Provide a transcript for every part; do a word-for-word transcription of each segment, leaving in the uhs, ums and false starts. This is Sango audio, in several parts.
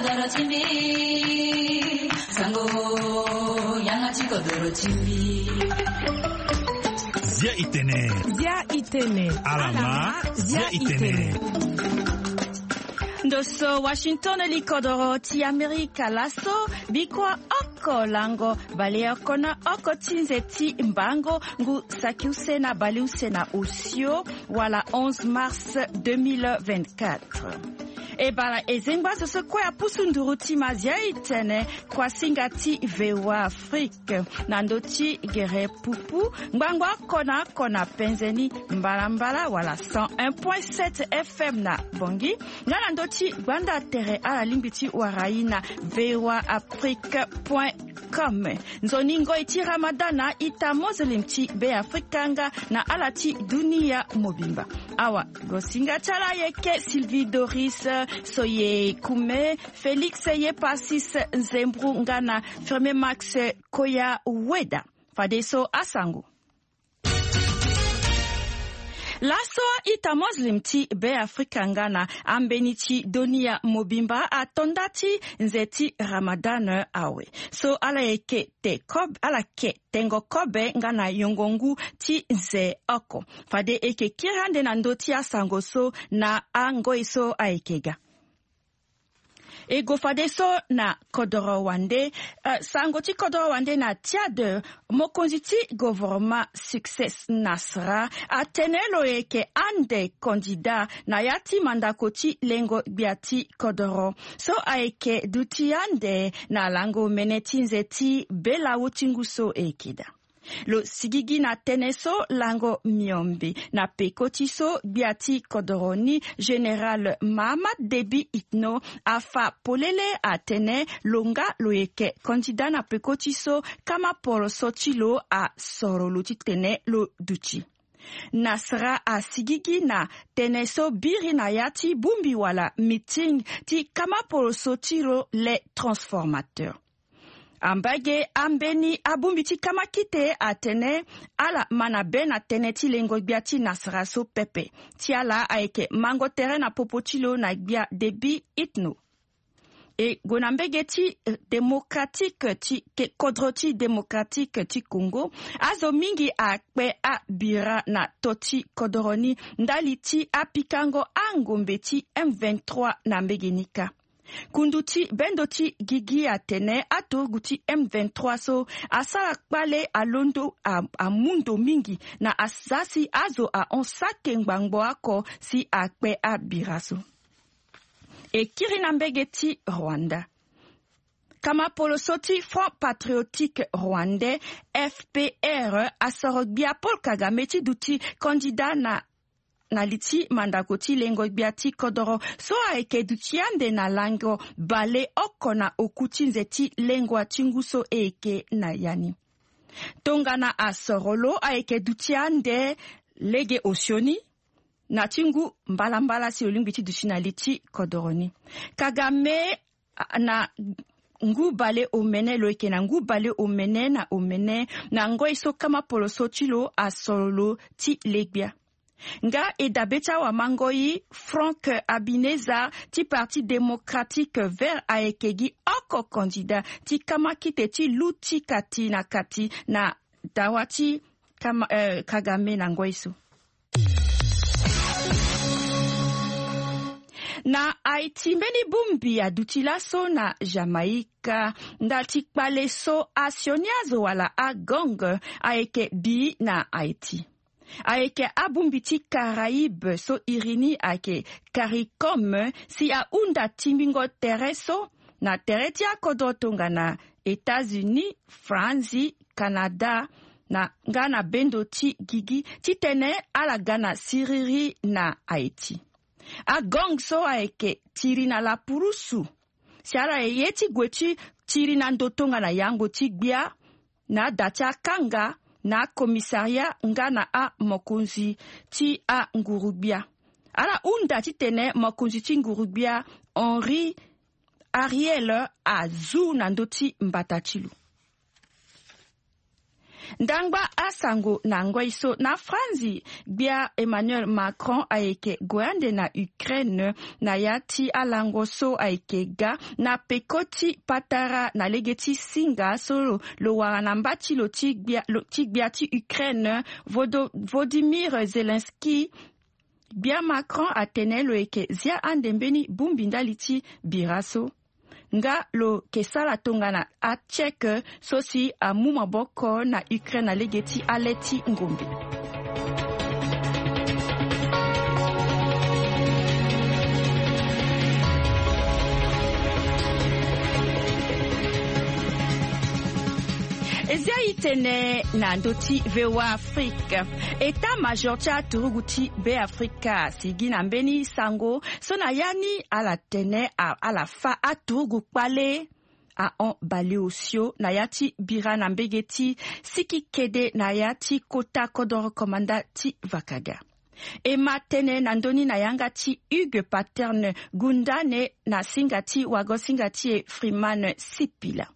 Kodoro ti mbi, sango, yanga ti kodoro ti mbi. Zia itene. Zia itene. Alama, zia itene. Ndo so Washington, li kodoro ti Amerika laso, bikua oko lango baleoko na oko ti nze ti mbango, ngu saki use na baleuse na osio, wala onze mars deux mille vingt-quatre. E bala e zengba azo so kue apusu nduru ti mazia itene, kuasinga ti V O A Afrique, na ndö ti gere pupu, ngbangba oko na oko na penze ni, mbalambala wala cent un point sept F M na Bangui, nga na ndö ti gbanda tere ala lingbi ti wara ye na V O A Afrique point com. Nzoni ngoi ti Ramadan na ita Muslim ti Be Afrika nga na ala ti dunia mobimba. Awa, gosinga ti ala ayeke Sylvie Doris, Soyekume, Félix Yepasis Nzembru nga na Firme Max Koya Weda. Fadeso asango. Laso ita Muslim ti Be Afrika nga na ambeni ti dunia mobimba ato nda ti nze ti Ramadan awe. So ala yeke te kob-, ala ke tengo kobe nga na yongo ngu ti nze oko. Fade e ke kiri ande na ndö ti asango so na angoi so ayeke ga. E go fadeso na kodoro wande, eh, sango ti kodoro wande na Tchad, mokonzi ti gouvernement Succès Masra atene lo yeke ande candidat na ya ti mandako ti lengo gbia ti kodoro. So ayeke duti ande na lango mene ti nze ti belawu ti ngu so e yeke daa. Lo sigigi na tënë so lango miombe na peko ti so gbia ti kodoro ni, Général Mahamat Déby Itno, afa polele atene lo nga lo yeke candidat na peko ti so kama poroso ti lo asoro lo titene lo duti. Masra asigigi na tënë so biri na ya ti bongbi wala meeting ti kama poroso ti lo Les Transformateurs. Ambage ambeni abongbi ti kama kite atene ala ma na be na tënë ti lengo gbia ti Masra so pepe. Ti ala ayeke mango tere na popo ti lo na gbia Déby Itno. E gue na mbege ti, eh, démocratique ti ke-, kodro ti démocratique ti Congo. Azo mingi akpe abira na to ti kodoro ni ndali ti apikango angombe ti M vingt-trois na mbege ni kâ. Kundu ti bendo ti gigi atene aturugu ti M vingt-trois so asara kpale alondo a-, amu ndo mingi na asasi azo ahon sake ngbangbo oko si akpe abira so. E kiri na mbege ti Rwanda. Kama poroso ti Front Patriotique Rwandais, F P R, asoro gbia Paul Kagame ti duti candidat na na li ti mandako ti lengo gbia ti kodoro so ayeke duti ande na lango baleoko na oku ti nze ti lengua ti ngu so e yeke na ya ni. Tongana asoro lo ayeke duti ande lege osioni na ti ngu mbalambala si lo lingbi ti duti na li ti kodoro ni. Kagame, a, na ngu baleomene, lo yeke na ngu baleomene na omene na ngoi so kama poroso ti lo asoro lo ti le gbia. Nga e dabe ti awamangoi, Franck Habineza ti Parti Démocratique Vert ayeke gi oko candidat ti kama kite ti lu ti kati na kati na dawa ti kama, eh, Kagame na ngoi so. Na Haïti, mbeni bongbi aduti laso na Jamaïque, ndali ti kpale so asioni azo wala agang ayeke bi na Haïti. Ayeke abongbi ti Caraïbe so iri ni ayeke CARICOM si ahunda tingbingo tere so na tere ti akodro tongana États-Unis, Franzi, Canada, na nga na bendo ti gigi titene ala ga na siriri na Haïti. Agang so ayeke tiri na lapurusu si ala ye ti gue ti tiri na ndo tongana yango ti gbia na ada ti akanga na akomisaria nga na amokonzi ti anguru-gbia. Ala hunda titene mokonzi ti nguru-gbia Henri Ariel azu na ndö ti mbata ti lo. Ndangba asango na ngoi so na Franzi, gbia Emmanuel Macron ayeke gue ande na Ukraine na ya ti alango so ayeke ga na peko ti patara na lege ti singa so lo, lo wara na mba ti lo ti gbia, lo, ti gbia ti Ukraine, Vodo-, Volodymyr Zelensky. Gbia Macron atene lo yeke zia ande mbeni bongbi ndali ti bira so. Nga lo ke sara tongana atchèque so si amu maboko na Ukraine na lege ti ale ti ngombe. E zia e tene na ndö ti V O A Afrique. État-major ti aturugu ti Beafrika asigi na mbeni sango so na ya ni ala tene a-, ala fa aturugu kpale ahon baleosio na ya ti bira na mbege ti siki kede na ya ti kota kodoro komanda ti vakaga. E ma tene na ndö ni na yanga ti Hugues Paterne Gundane na singa ti wago singa ti e Freeman Sipila.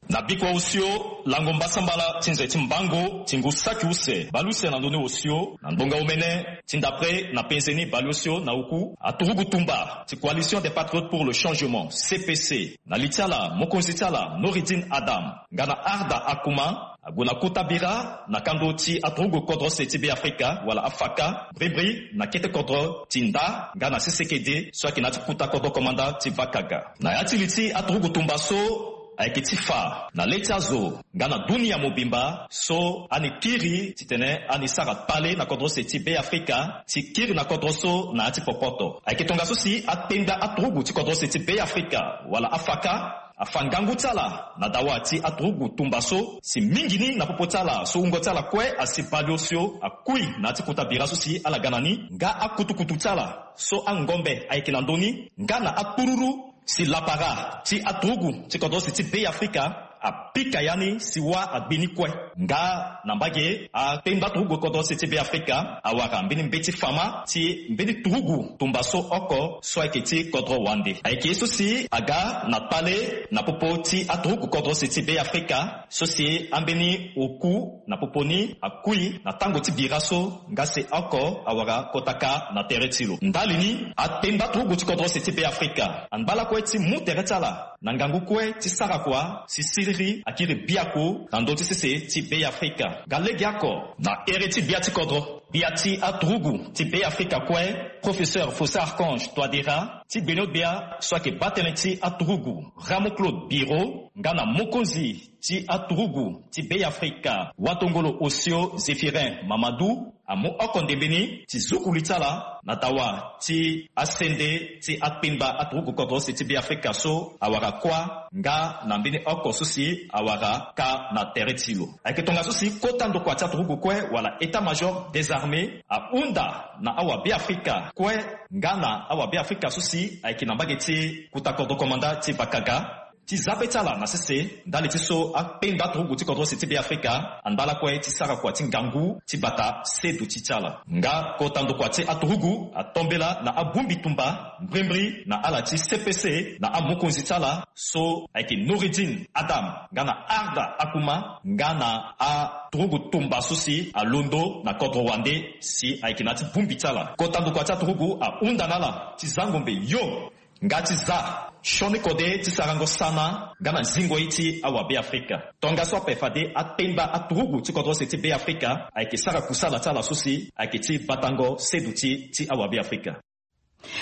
Na bikua osio, lango mbasambala ti nze ti mbango ti ngu saki use baleuse na ndö ni osio na ndonga omene ti ndapre na penze ni baleosio na oku aturugu tumba ti Coalition des Patriotes pour le Changement, C P C, na li ti ala mokonzi ti ala Noureddine Adam nga na Arda Akouma ague na kota bira na kando ti aturugu kodro se ti Beafrika wala afaka, brimbri na kete kodro ti nda nga na sese kede so ayeke na ya ti kota kodro komanda ti vakaga. Na ya ti li ti aturugu tumba so ayeke ti fa na le ti azo nga na dunia mobimba so ani kiri titene ani sara kpale na kodro se ti Beafrika ti kiri na kodro so na ya ti popoto. Ayeke tongaso si akpengba aturugu ti kodro se ti Beafrika wala afaka afa ngangu ti ala na dawa ti aturugu tumba so si mingi ni na popo ti ala so wungo ti ala kue asi baleosio akui na ya ti kota bira so si ala ga na ni nga akutukutu ti ala so angombe ayeke na ndö ni nga na akpururu si lapara ti aturugu ti kodro se ti Beafrika apika ya ni si wâ agbi ni kue. Nga na mbage akpengba turugu kodro se ti Beafrika awara mbeni mbeti fama ti mbeni turugu tumba so oko so ayeke ti kodro wande. Ayeke ye so si aga na kpale na popo ti aturugu kodro se ti Beafrika so si ambeni oku na popo ni akui na tango ti bira so nga se oko awara kota kâ na tere ti lo. Ndali ni, akpengba turugu ti kodro se ti Beafrika angba lakue ti mu tere ti ala na ngangu kue ti sara kua si siriri akiri biaku na ndö ti sese ti Beafrika. Nga legeoko na here ti gbia ti kodro, gbia ti aturugu ti Beafrika kue, Professeur Faustin Archange Touadéra, ti gbeno-gbia so ayeke baa tënë ti aturugu Rameau Claude Biro nga na mokonzi ti aturugu ti Beafrika watongolo osio Zéphirin Mamadou amu oko ndembe ni ti zuku li ti ala na dawa ti asende ti akpengba aturugu kodro se ti Beafrika so awara kuâ nga na mbeni oko so si awara kâ na tere ti lo. Ayeke tongaso si kota ndokua ti aturugu kue wala état-major désarmé ahunda na awabeafrika kue nga na awabeafrika so si ayeke na mbage ti kota kodro komanda ti vakaga ti za pe ti ala na sese ndali ti so akpengba turugu ti kodro se ti Beafrika andala kue ti sara kua ti ngangu ti bata seduti ti ala. Nga kota ndokua ti aturugu atombela na abongbi tumba mbrimbri na ala ti C P C na amokonzi ti ala so ayeke Noureddine Adam nga na Arda Akouma nga na aturugu tumba so si alondo na kodro wande si ayeke na ya ti bongbi ti ala. Kota ndokua ti aturugu ahunda na ala ti za ngombe yo nga ti za sioni kode ti sarango sana nga na zingo ye ti awabeafrika. Tongaso ape fade akpengba aturugu ti kodro se ti Beafrika ayeke sara kusala ti ala so si ayeke ti batango seduti ti awabeafrika.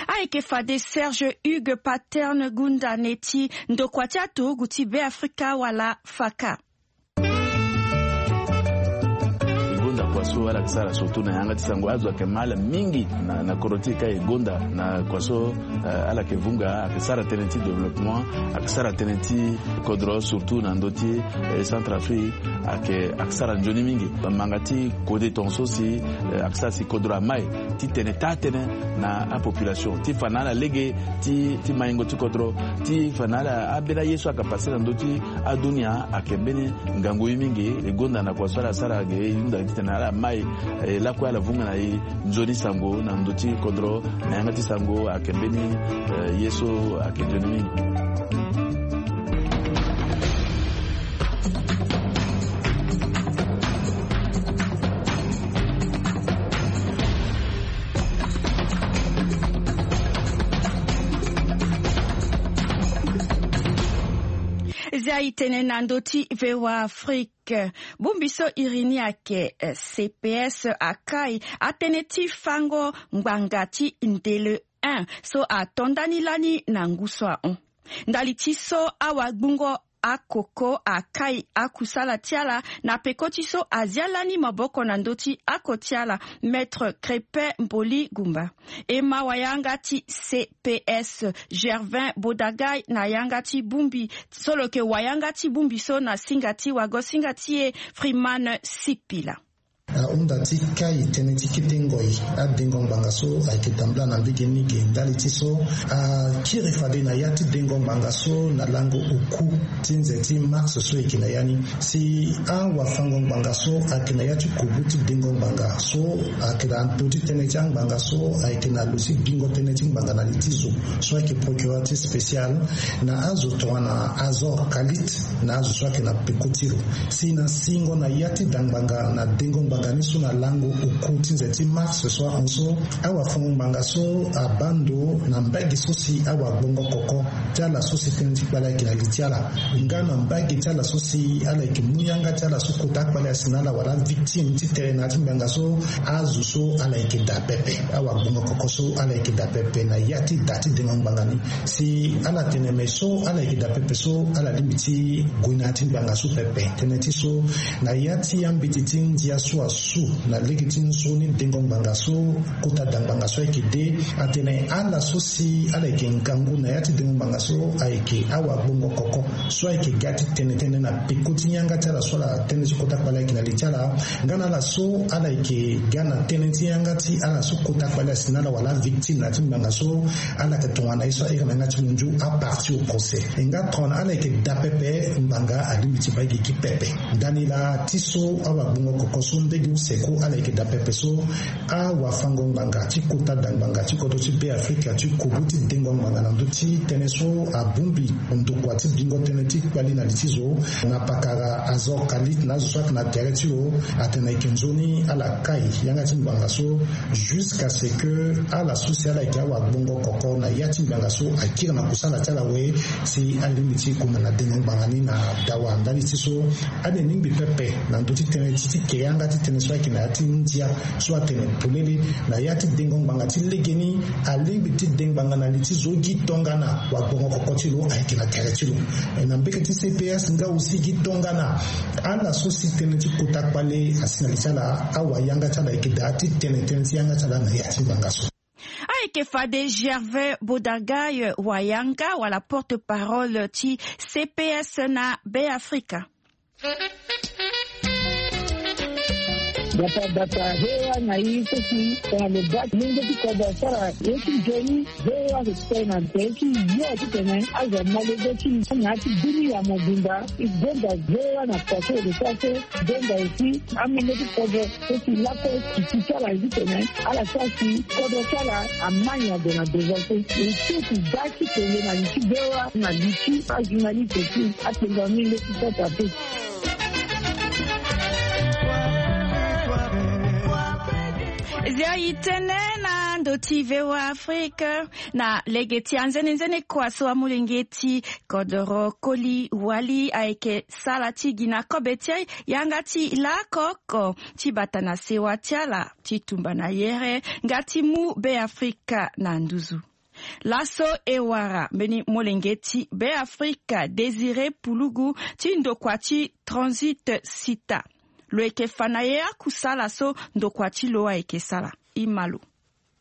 Ayeke fade Serge Hugues Paterne Gundane ti ndokua ti aturugu ti Beafrika wala faka. E gonda kua so ala yeke sara surtout na yanga ti sango azo ayeke ma ala mingi na, na kodro ti e ka e gonda na kua so, eh, ala yeke vunga ayeke sara tënë ti développement, ayeke sara tënë ti kodro surtout na ndö ti, eh, Centrafrique, ayeke, ayeke sara nzoni mingi. Manga ti kode tongaso si, eh, ayeke sara si kodro amai ti tene taa tënë na apopulation ti fa na ala lege ti, ti maingo ti kodro, ti fa na ala ambeni aye so ayeke pase na ndö ti adunia ayeke mbeni ngangu ye mingi. E gonda na kua so ala sara ge e hunda titene ala mai, eh, lakue ala vunga na e nzoni sango na ndö ti kodro na yanga ti sango ayeke mbeni, eh, ye so ayeke nzoni mingi. Zia itene na ndö ti vewa afrique. Bongbi so iri ni ayeke cps akai atënë ti fango ngbanga ti ndele un so ato ndani lani na ngu so ahon. Ndali ti so awagbungo akoko akai akusala ti ala na peko ti so azia lani maboko na ndö ti ako ti ala, maître crépin mboli gumba. E ma wayanga ti cps gervin bodagai na yanga ti bongbi so lo yeke wayanga ti bongbi so na singa ti wago singa ti e. Freeman sipila. Ahunda ti kai tënë ti kete ngoi adengo ngbanga so ayeke tambula na mbege mingi ndali ti so akiri fade na ya ti dengo ngbanga so na lango oku ti nze ti mars so eke na ya ni. Si awafango ngbanga so ayeke na ya ti kubu ti dengo ngbanga so ayeke na ndö ti tënë ti angbanga so ayeke na lo ti bingo tënë ti ngbanga na li ti zo so ayeke procureur ti spécial na azo tongana azor kalit na azo so ayeke na peko ti lo. Si na singo na ya ti da ngbanga na dengo ngbanga ni so na lango oku ti nze ti mars so ahon so awafango ngbanga so abaa ndo na mbage so si awagbongo koko ti ala so si tënë ti kpale ayeke na li ti ala nga na mbage ti ala so si ala yeke mu yanga ti ala so kota akpale asi na ala wala avictime ti tene na ya ti ngbanga so azo so ala yeke daa pepe. Awagbongo koko so ala yeke daa pepe na ya ti da ti dengo ngbanga ni. Si ala tene me so ala yeke daa pepe so ala lingbi ti gue na ya ti ngbanga so pepe tënë ti so na ya ti ambeti ti ndia so asu na lege ti nzoni dengo ngbanga so kota da ngbanga so ayeke de atene ala so si ala yeke ngangu na ya ti dengo ngbanga so ayeke awagbongo koko so ayeke ga ti tene tënë na peko ti yanga ti ala so ala tënë ti kota kpale ayeke na li ti ala nga na ala so ala yeke ga na tënë ti yanga ti ala so kota kpale asi na ala wala avictime na ya ti ngbanga so ala yeke tongana ye so ahiri na yanga ti munzu aparti au procès. E nga tongana ala yeke daa pepe ngbanga alingbi ti baa gi gi pepe. Ndani laa ti so awagbongo koko so ndege use ku ala yeke daa pepe so awafango ngbanga ti kota da ngbanga ti kodro ti be afrika ti kubu ti dengo ngbanga na ndö ti tënë so abongbi ndokua ti bingo tënë ti kpali na li ti zo na pakara azor kalit na azo so ayeke na tere ti lo atene ayeke nzoni ala kai yanga ti ngbanga so jusqu'à ce que ala so si ala yeke awagbongo koko na ya ti ngbanga so akiri na kusala ti ala we si alingbi ti kuma na dengo ngbanga ni na dawa ndali ti so ade lingbi pepe na ndö ti tënë ti ti ke yanga ti tënë so ayeke na ya ti ndia so atene polele na ya ti dengo ngbanga ti legeni alingbi ti de ngbanga na li ti zo gi tongana wagbongo koko ti lo ayeke na tere ti lo. E na mbeke ti cps nga aussi gi tongana ala so si tënë ti kota kpale asi na li ti ala awayanga ti ala ayeke daa ti tene tënë ti yanga ti ala na ya ti ngbanga so. Ayeke fade gervais bodagai wayanga wala porte-parole ti cps na be afrika. Data data he wa na yi so si tongana lo baa ti lenge ti kodro asara ye ti nzoni. He wa so ti tene na tere ti yo titene azo amolenge ti na ya ti bini ya mobimba. E gonda he wa na poto ede so ase gonda aussi amolenge ti kodro so si lakue titi ti ala ye titene ala sara si kodro ti ala amai na gue na devant so. E so si baa ti tene na li ti he wa na li ti ajournaliste aussi. Atenga mingi ti sota pe. Zia itene na ndo ti vewa afrika na lege ti anzenenzene kua so amolenge ti kodoro koli wali ayeke sala ti gi na kobe ti yanga ti lakoko ti bata na sewa ti ala ti tumba na yere nga ti mu be afrika na nduzu. Laso e wara mbeni molenge ti be afrika désiré pulugu ti ndokua ti transit sita. Lo yeke fa na ye akusala so ndokua ti lo ayeke sara. Ima lo.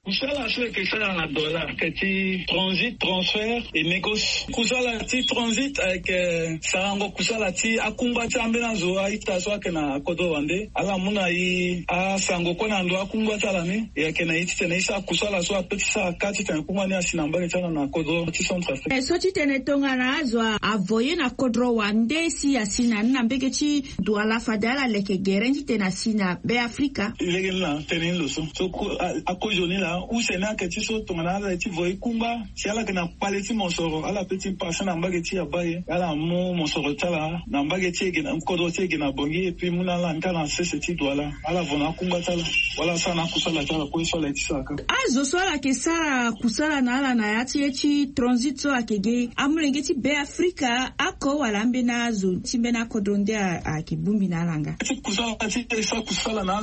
Kusala so eke sara na dollar eke ti transit transfert et négoce. Kusala ti transit ayeke sarango kusala ti akungba ti ambeni azo a-ita so ayeke na kodro wande ala mu na e asango kue na ndo akungba ti ala ni. E yeke na e titene e sara kusala so ape ti sara ka titene kungba ni asi na mbage ti ala na kodro ti centre afrique. So titene tongana azo avoye na kodro wande si asi na ni na mbege ti duala fade ala leke gere ni titene asi na be afrika. Lege ni na tene ni lo so so akozoni laa. use ni ayeke ti so tongana ala ye ti vo e kungba si ala yeke na kpale ti mosoro, ala pe ti pase na mbage ti abaa e, ala mu mosoro ti ala na mbage ti e ge na kodro ti e ge na Bangui, et puis mu na ala nga na sese ti Douala, ala vo na akungba ti ala wala asara na akusala ti ala kue so ala ye ti sara kâ. Azo so ala yeke sara kusala na ala na ya ti ye ti transit so ayeke ge, amolenge ti Be Afrika oko wala ambeni azo ti mbeni akodro nde a- ayeke bongbi na ala nga? Ti kusala ti e sara kusala na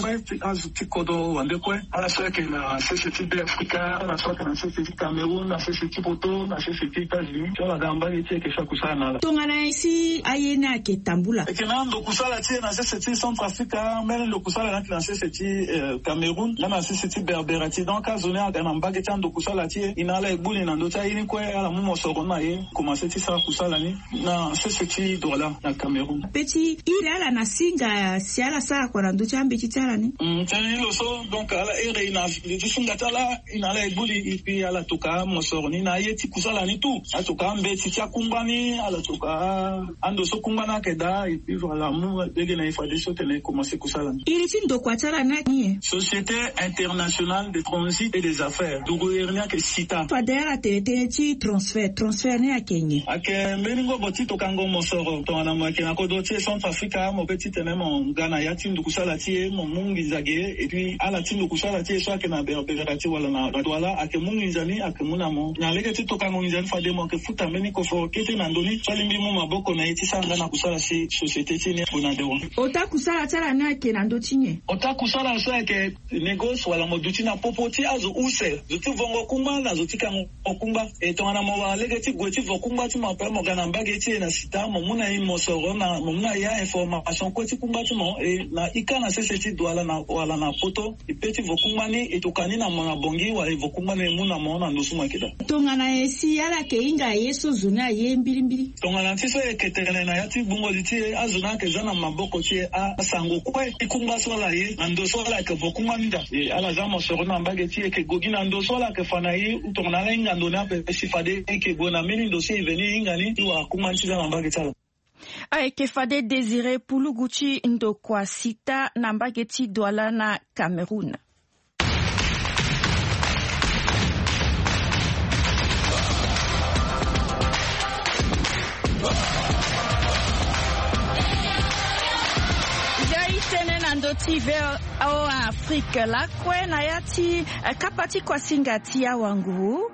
azo ti kodro wande kue, ala so ayeke na sese ti Be Afrika, ala so ayeke na sese ti Cameroun, na sese ti Poto, na sese ti États-Unis, so ala ga mbage ti e yeke sara kusala na ala. Tongana nyen si aye ni ayeke tambula? E yeke na ando kusala ti e na sese ti Centrafrique, mbeni ndo kusala ni ayeke na sese ti, eh, Cameroun nga na sese ti Berbère ti. Donc azo ni aga na mbage ti ando kusala ti e, e na ala e gbu ni na ndö ti aye ni kue, ala mu mosoro ni na e, komanse ti sara kusala ni na sese ti Douala na Cameroun. Pe ti iri ala na singa si ala sara kua na ndö ti ambeti ti ala ni. Mm, tënë ni lo so, donc ala iri na ndö ti singa ti ala, e na ala e gbu li, et puis ala toka mosoro ni na aye ti kusala ni tout. Ala toka ambeti ti akungba ni, ala toka ando so kungba ni ayeke daa, et puis voilà, mu lege na e fadeso tene e komanse kusala ni. Iri ti ndokua ti ala ni ayeke nyen? Société Internationale de Transit et des Affaires, nduru iri ni ayeke SITA. Fade ala tene tënë ti transfert, transfert ni ayeke nyen? Ayeke mbeni ngobo ti tokango mosoro tongana mo yeke na kodro ti e Centrafrique, mo pe titene mo nga na ya ti ndukusala ti e, mo mu nginza ge, et puis ala ti ndukusala ti e so ayeke na Berbère ti wala na Douala ayeke mu nginza ni, ayeke mu na mo na lege ti tokango nginza ni fade mo yeke futa mbeni koforo kete na ndö ni so alingbi mu maboko na e ti sara nga na kusala si société ti e ni ague na dewan. Ota kusala ti ala ni ayeke na ndö ti nyen? Ota kusala so ayeke négoce wala mo duti na popo ti azo use, zo ti vongo kungba na zo ti kango kungba. E tongana mo wara lege ti gue ti vo kungba ti mo ape, mo ga na mbage ti e na SITA, mo mu na e mosoro, na mo mu na e a-information kue ti kungba ti mo, e na ika na sese ti Douala na wala na Poto, e pe ti vo kungba ni, e toka ni na mo na Bangui wala e vo kungba ni e mu na mo na ndo so mo yeke daa. Tongana nyen si ala yeke hinga ye so zo ni aye mbilimbili? Tongana ti so e yeke tene na ya ti gbungo li ti e, azo ni ayeke za na maboko ti e a- asango kue ti kungba so ala ye na ndo so ala yeke vo kungba ni daa. E ala za mosoro na mbage ti e, e yeke gue gi na ndo so ala yeke fa na e, tongana ala hinga ndo ni ape si fade e yeke gue na mbeni ndo so e veni e hinga ni ti wara kungba ni ti za na mbage ti ala. Ayeke fade Désiré Pulugu ti ndokua SITA na mbage ti Douala na Cameroun. Nzia itene na ndö ti V O A Afrique lakue na ya ti, eh, kapa ti kuasinga ti awanguru.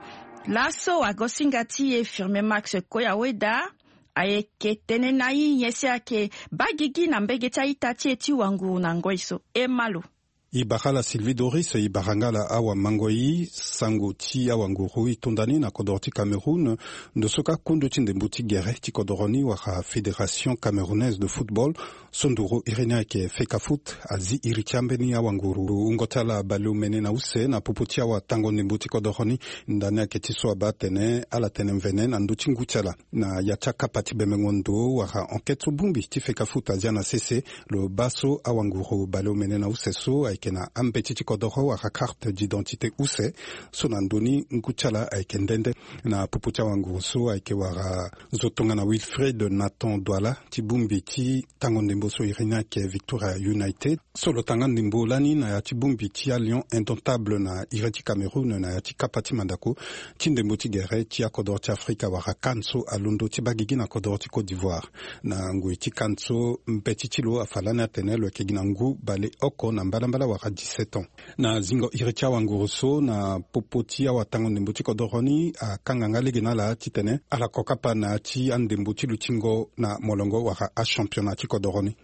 Laso wagosinga ti e Firmin Max Koya Weda ayeke tene na i nyen si ayeke baa gigi na mbege ti a-ita ti e ti wanguru na ngoi so. E ma lo. E bara ala Sylvie Doris, e bara nga ala awamango-i. Sango ti awanguru e tonda ni na kodoro ti Cameroun, ndo so kâ kundu ti ndembo ti gere ti kodoro ni wala Fédération Camerounaise de Football, so nduru iri ni ayeke Fecafoot, azi iri ti ambeni awanguru wungo ti ala baleomene na use na popo ti awatango ndembo ti kodoro ni. Ndani ayeke ti so abaa atene ala tene mvene na ndö ti ngu ti ala. Na ya ti akapa ti bembengo ndo wala enquête so bongbi ti Fecafoot azia na sese, lo baa so awanguru baleomene na use so ayeke na ambeti ti kodoro wala carte d'identité use, so na ndö ni ngu ti ala ayeke nde nde. Na popo ti awanguru so ayeke wara zo tongana Wilfried Nathan Douala ti bongbi ti tango ndembo so iri ni ayeke Victoria United, so lo tanga ndembo lani na ya ti bongbi ti aLion Indomptable na iri ti Cameroun na ya ti kapa ti mandako ti ndembo ti gere ti akodoro ti Afrika wala CAN so alondo ti baa gigi na kodoro ti Côte d'Ivoire. Na ngoi ti CAN so mbeti ti lo afa lani atene lo yeke gi na ngu baleoko na mbalambala wala dix-sept ans. Na zingo iri ti awanguru so na popo ti awatango ndembo ti kodoro ni akanga nga lege na ala titene ala ko kapa na ya ti andembo ti lutingo na molongo wala achampionnat ti kodoro ni.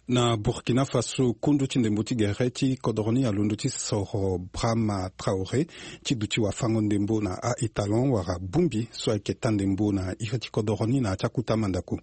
Na Burkina Faso, kundu ti ndembo ti gere ti kodoro ni alondo ti soro Brahma Traoré ti duti wafango ndembo na a-étalon wala bongbi so ayeke taa ndembo na iri ti kodoro ni na ya ti akuta mandako.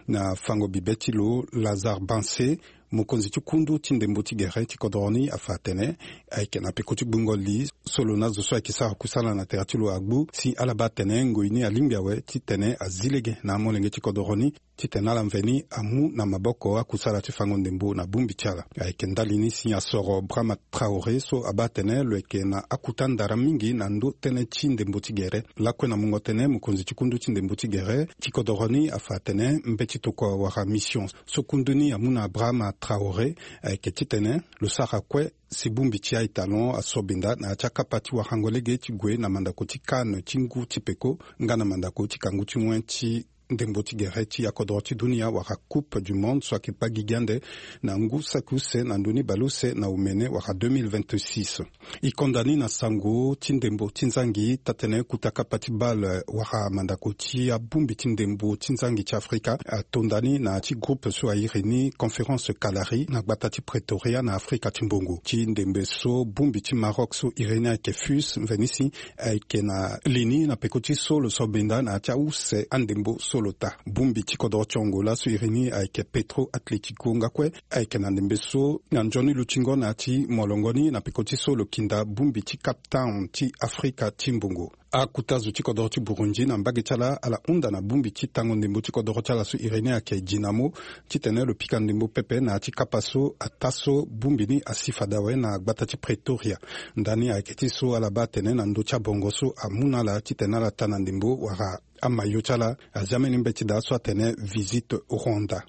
Na fango bibe ti lo, Lazare Bansé, mokonzi ti kundu ti ndembo ti gere ti kodoro ni afa atene ayeke na peko ti gbungo li so lo na zo so ayeke sara kusala na tere ti lo agbu si ala baa atene ngoi ni alingbi awe titene azi lege na amolenge ti kodoro ni titene ala mveni amu na maboko akusala ti fango ndembo na bongbi ti ala. Ayeke ndali ni si asoro Brahma Traoré so abaa atene lo yeke na akuta ndara mingi na ndö tënë ti ndembo ti gere. Lakue na mungo tënë, mokonzi ti kundu ti ndembo ti gere ti kodoro ni afa atene mbeti tokua wala mission so kundu ni amu na Brahma Traoré, ayeke titene lo sara kue si bongbi ti aye talon asobenda na ya ti akapa ti warango lege ti gue na mandako ti CAN ti ngu ti peko nga na mandako ti kangu ti wen ti ndembo ti gere ti akodoro ti dunia wala Coupe du Monde so ayeke kpa gigi ande na ngu saki use na ndö ni baleuse na omene wala deux mille vingt-six. E konda ni na sango ti ndembo ti nzangi tatene kuta kapa ti bale wala mandako ti abongbi ti ndembo ti nzangi ti Afrika atonda ni na ya ti groupe so airi ni Conférence Kalari na gbata ti Pretoria na Afrika ti mbongo. Ti ndembe so bongbi ti Maroc so iri ni ayeke Fus Mvenisi ayeke na li ni na peko ti so lo so benda na ya ti ause andembo so lo ta. Bongbi ti kodoro ti Angola so iri ni ayeke Petro Atlético nga kue ayeke na ndembe so na nzoni lutingo na ya ti molongo ni na peko ti so lo kinda bongbi ti Cape Town ti Afrika ti mbongo. Akuta zo ti kodoro ti Burundi na mbage ti ala ala hunda na bongbi ti tango ndembo ti kodoro ti ala so iri ni ayeke Dinamo titene lo pika ndembo pepe na ya ti kapa so ata so bongbi ni asi fade awe na gbata ti Pretoria. Ndani ayeke ti so ala baa atene na ndö ti abongo so amu na ala titene ala ta na ndembo wala amayo ti ala azi ambeni mbeti daa so atene Visite Rwanda.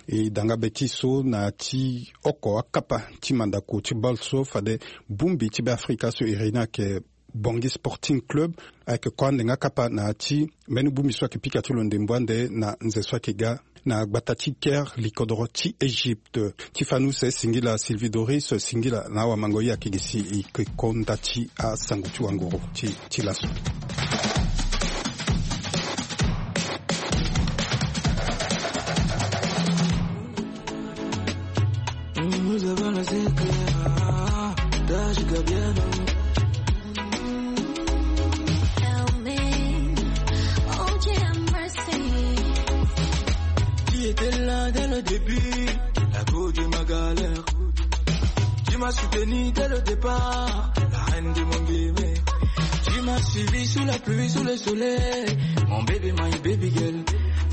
E danga be ti so na ya ti oko akapa ti mandako ti bale so fade bongbi ti Beafrika so iri ni ayeke Bangui Sporting Club ayeke ko ande nga kapa na ya ti mbeni bongbi so ayeke pika ti lo ndembo ande na nze so ayeke ga na gbata ti Caire, likodoro ti Égypte. Ti fani use singila Sylvie Doris, singila na awamango ye ayeke gi si e yeke ko nda ti asango ti wanguru ti, ti laso. Nous avons la zéclair, Taj Gabriel. Qui était là dès le début, la go de ma galère. Tu m'as soutenu dès le départ, la reine de mon bébé. Tu m'as suivi sous la pluie, sous le soleil, mon baby, my baby girl.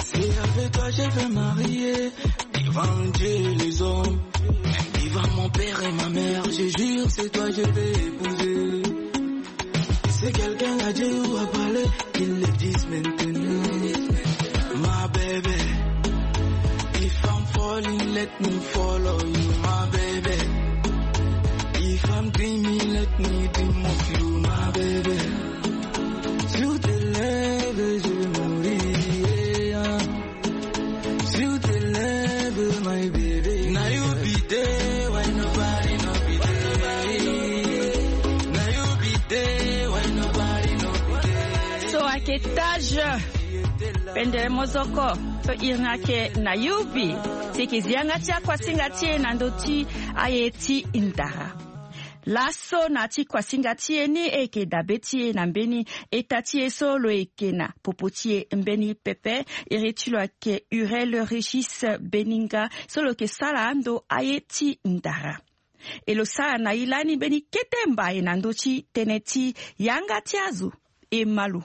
C'est avec toi je veux marier, devant Dieu et les hommes, même devant mon père et ma mère, je jure c'est toi je vais épouser. Si quelqu'un a dit ou a parlé, qu'il le dise maintenant. My baby, if I'm falling, let me follow you, my baby. If I'm dreaming, let me dream of you, my baby. Sur tes lèvres, je vais mourir. Sur tes lèvres, my baby. Now you be there, why nobody no be there? Now you be there, why nobody no be there? So ayeke Taj Pendele Mozoko so iri ni ayeke na yubi. Si e yeke zi yanga ti akuasinga ti e na ndö ti aye ti ndara. Laso na ti kuasinga ti e ni e yeke dabe ti e na mbeni eta ti e so lo yeke na popo ti e mbeni pepe. Iri ti lo ayeke Urel Régis Beninga so lo yeke sara ando aye ti ndara. E lo sara na e lani mbeni kete mbai na ndö ti tënë ti yanga ti azo. E ma lo.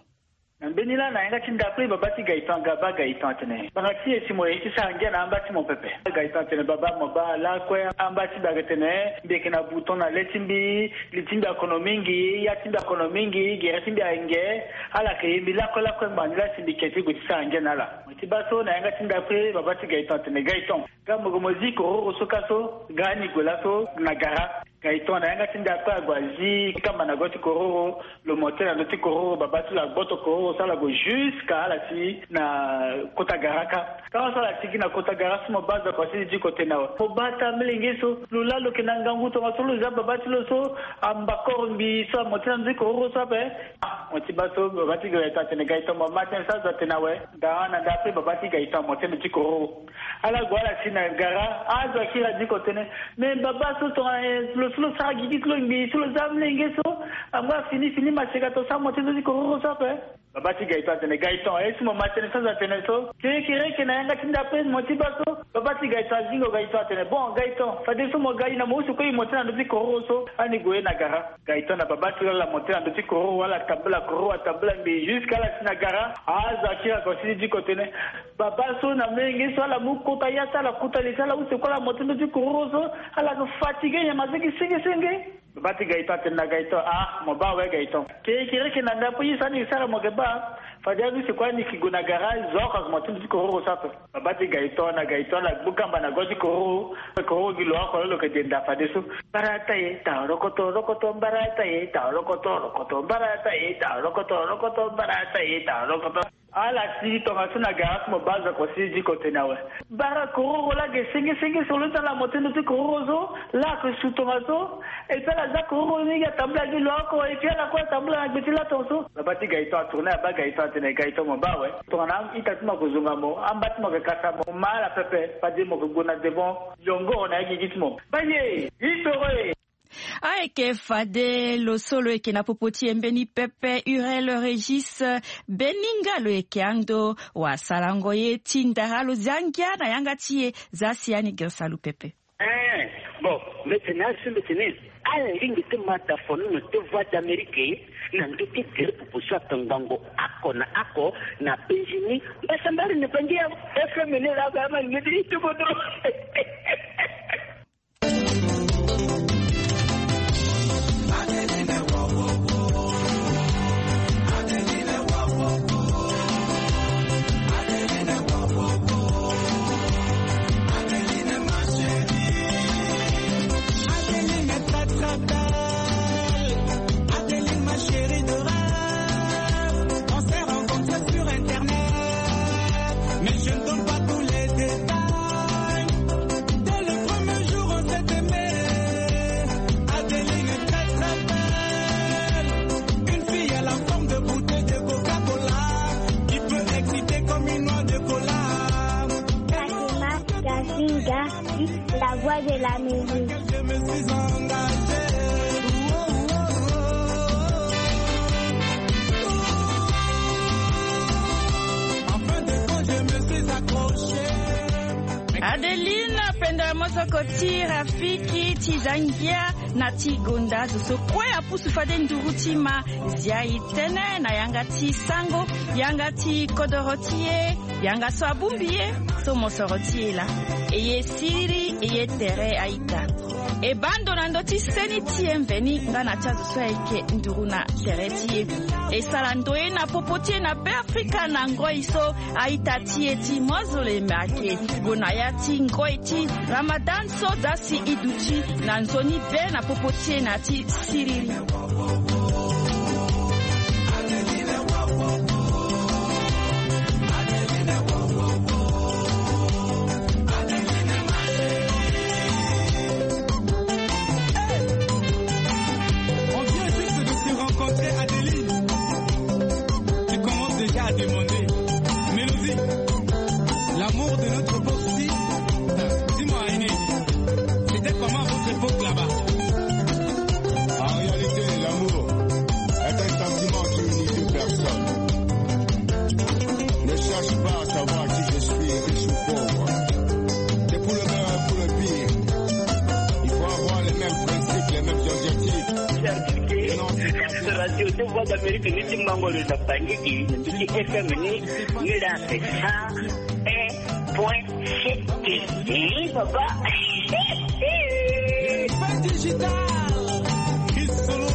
Na mbeni laa na yanga ti ndapre baba ti Gaëtan, Gaba Gaëtan atene, ngbanga ti e si mo ye ti sara ngia na amba ti mo pepe. Gaëtan atene, baba, mo baa lakue amba ti mbi ayeke tene mbi yeke na bouton na le ti mbi, li ti mbi akono mingi, ya ti mbi akono mingi, gere ti mbi ayeke nge. Ala yeke ye mbi lakue lakue ngbanga ni laa si mbi yeke ti gue ti sara ngia na ala. Mo ti baa so na yanga ti ndapre baba ti Gaëtan atene, Gaëtan, nga mo gue mo zi kororo so kâ so, nga ni gue laso na gara. Gaëtan na yanga ti ndapre ague azi kamba na go ti kororo, lo monte na ndö ti kororo, baba ti lo agboto kororo so ala gue jusqu'à ala ti na kota gara kâ. Kâ so ala ti gi na kota gara so mo baa azo akua si ti diko tene awe. Mo baa ata amolenge so, lo laa lo yeke na ngangu tongaso lo zia baba ti lo so amba koro mbi so amonte na ndö ti kororo so ape. Ah, mo ti baa so baba ti Gaëtan atene, Gaëtan, mo ma tënë so azo atene awe. Daa na ndapre baba ti Gaëtan amonte na ndö ti kororo. Ala gue ala si na gara, azo akiri adiko tene, me baba so tongana lo so lo sara gigi ti lo ngbii so lo zia amolenge so, angba fini fini maseka to so amonte ndö ti kororo so ape. Baba ti Gaëtan atene, Gaëtan, aye so mo ma tënë so azo atene so? Kerekereke na yanga ti ndapre mo ti baa so? Baba ti Gaëtan azingo Gaëtan atene, bon Gaëtan, fadeso mo ga e na mo use kue e monte na ndö ti kororo so, ani gue na gara. Gaëtan na baba ti lo ala monte na ndö ti kororo, ala tambula kororo, atambula ngbii jusqu'à ala si na gara. Azo akiri akua si ti diko tene, baba so na amolenge so ala mu kota ya so ala kota li so ala use kue ala monte ndö ti kororo so, ala yeke fatigué nyama so yeke senge senge. Baba ti Gaëtan atene na Gaëtan, ah, mo baa awe Gaëtan. Kerekereke na ndapre ye so ani sara mo yeke baa. Fade alusi kue ni ki gue na garage, zo oko ague moto ti kororo so ape. Babâ ti Gaëtan na Gaëtan ala gbu kamba na go ti kororo. Kororo gi lo oko lo lo yeke denda fadeso. Barata ye, tarokoto, rokoto, barata ye, tarokoto, rokoto, barata ye, tarokoto, rokoto, barata ye, tarokoto. Ala sigi tongaso na garage mo baa zo oko sigi diko tene awe. Bara kororo laa ge senge senge so lo ti ala mo ti ndo ti kororo so. Laa ayeke su tongaso. Et puis ala za kororo ni ge atambula gi lo oko. Et puis ala kue atambula na gbe ti la tongaso. Babâ ti Gaëtan atourne abaa Gaëtan atene Gaëtan mo baa awe. Tongana a-ita ti mo ayeke zonga mo, amba ti mo ayeke kasa mo, mo ma ala pepe. Fade mo yeke gue na devant. Yongoro na ya gigi ti mo. Baye, itoro e. Ayeke fade lo so lo yeke na popo ti e mbeni pepe, Urel Régis, mbeni nga lo yeke ando wasarango ye ti ndara lo zia ngia na yanga ti e. Za si ani gere salu pepe. Eh, bon, mbetene asu mbetene. Ala lingbi ti ma dafonono ti Voix d'Amérique na ndö ti gere popo so atongbango oko na oko na Benjini. Mbasambari ne bangi ya F M ne la ga ma ngedi itobodo. Adeline est très, très belle. Adeline, ma chérie de rêve. On s'est rencontrés sur Internet, mais je ne donne pas tous les détails. Dès le premier jour, on s'est aimé. Adeline est très, très belle. Une fille à la forme de bouteille de Coca-Cola qui peut exciter comme une noix de cola. Fatima Gazinga, la voix de la musique. Adeline, penda mosoko ti Rafiki ti za ngia na ti gonda zo so kue apusu fade nduru ti ma zia e tënë na yanga ti sango, yanga ti kodoro ti e, yanga so abongbi e, so mosoro ti e laa. E ye siriri, e ye tere a-ita. E baa ndo na ndö ti seni ti e mveni nga na ti azo so ayeke nduru na tere ti e. E sara ndoye na popo ti e na Beafrika na ngoi so a-ita ti e ti Mozoleme ayeke gue na ya ti ngoi ti Ramadan so za si e duti na nzoni be na popo ti e na ti siriri. On vient juste de se rencontrer, Adeline. Tu commences déjà à demander. Mélodie, l'amour de notre époque, si, dis-moi, Aîné, c'était comment à votre époque là-bas ? En réalité, l'amour est un sentiment qui unit deux personnes. Ne cherche pas à savoir qui je suis, riche ou pauvre. C'est pour le meilleur, pour le pire. Il faut avoir les mêmes principes, les mêmes objectifs. Radio de Voix d'Amérique, ni ti mango le tapangiki, ni ti F M ni, ni la c'est ça. Un point sept. Eh, papa. Pas digital. Chris Solo.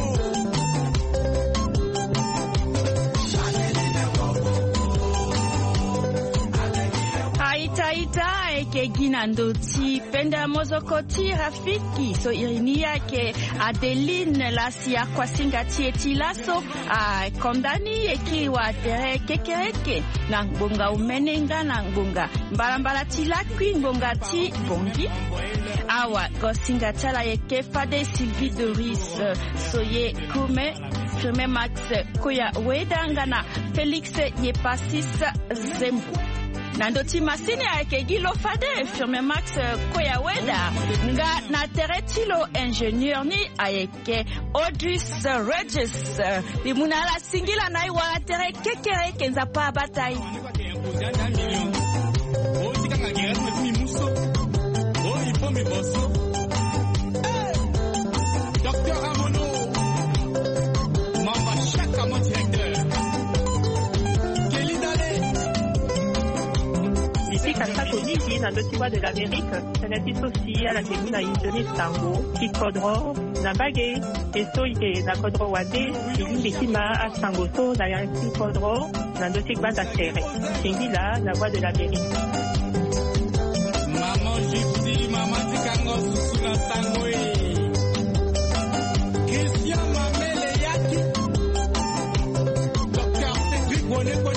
A-ita, a-ita, e yeke gi na ndö ti penda mozoko ti Rafiki so iri ni ayeke Adeline, la si akuasinga ti e ti laso akonda ni e kiri wa tere kekereke na ngbonga omene nga na ngbonga mbalambala ti lakui ngbonga ti Bongi. Awa gosinga ti ala ayeke fade Sylvie Doris, so ye Kume, Firme Max Koya Weda nga na Félix Yepasis Zembo. Na ndö ti masini ayeke gi lo fade Firme Max Koya Weda nga na tere ti lo ingénieur ni ayeke Odus Regis. Mbi mu na ala singila na e wala tere kekereke, Nzapa abata e. Docteur Amono, Mamba Chaka, mon directeur. Kelly Dale. Mbi pika sako mingi na ndö ti Voix de l'Amérique. Tënë ti so si ala yeke mu na e nzoni sango ti kodro. Na mbage, e so e na kodro wande, e lingbi ti ma asango so na ya ti kodro na ndö ti gbanda tere. Singila na Voix de l'Amérique. Maman Gifty, maman ti kango susu na sango e. Christian Mamele Yaki, Docteur Cédric Boneko